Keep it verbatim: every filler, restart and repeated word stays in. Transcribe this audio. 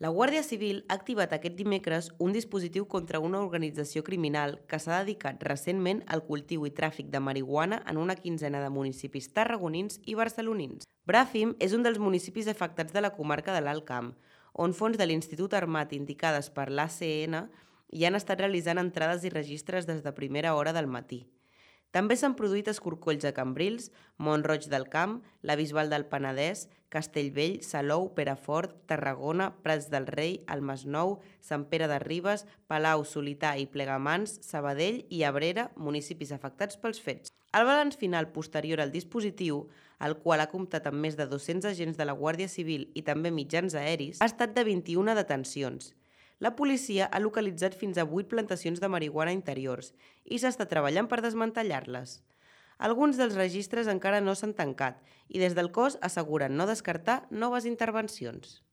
La Guàrdia Civil ha activat aquest dimecres un dispositiu contra una organització criminal que s'ha dedicat recentment al cultiu i tràfic de marihuana en una quinzena de municipis tarragonins i barcelonins. Bràfim és un dels municipis afectats de la comarca de l'Alt Camp, on fons de l'Institut Armat indicades per l'A C N hi han estat realitzant entrades i registres des de primera hora del matí. També s'han produït escorcolls a Cambrils, Mont-roig del Camp, la Bisbal del Penedès, Castellvell, Salou, Perafort, Tarragona, Prats del Rei, el Masnou, Sant Pere de Ribes, Palau, Solità i Plegamans, Sabadell i Abrera, municipis afectats pels fets. El balanç final posterior al dispositiu, el qual ha comptat amb més de dos-cents agents de la Guàrdia Civil i també mitjans aeris, ha estat de vint-i-una detencions. La policia ha localitzat fins a vuit plantacions de marihuana interiors i s'està treballant per desmantellar-les. Alguns dels registres encara no s'han tancat i des del cos asseguren no descartar noves intervencions.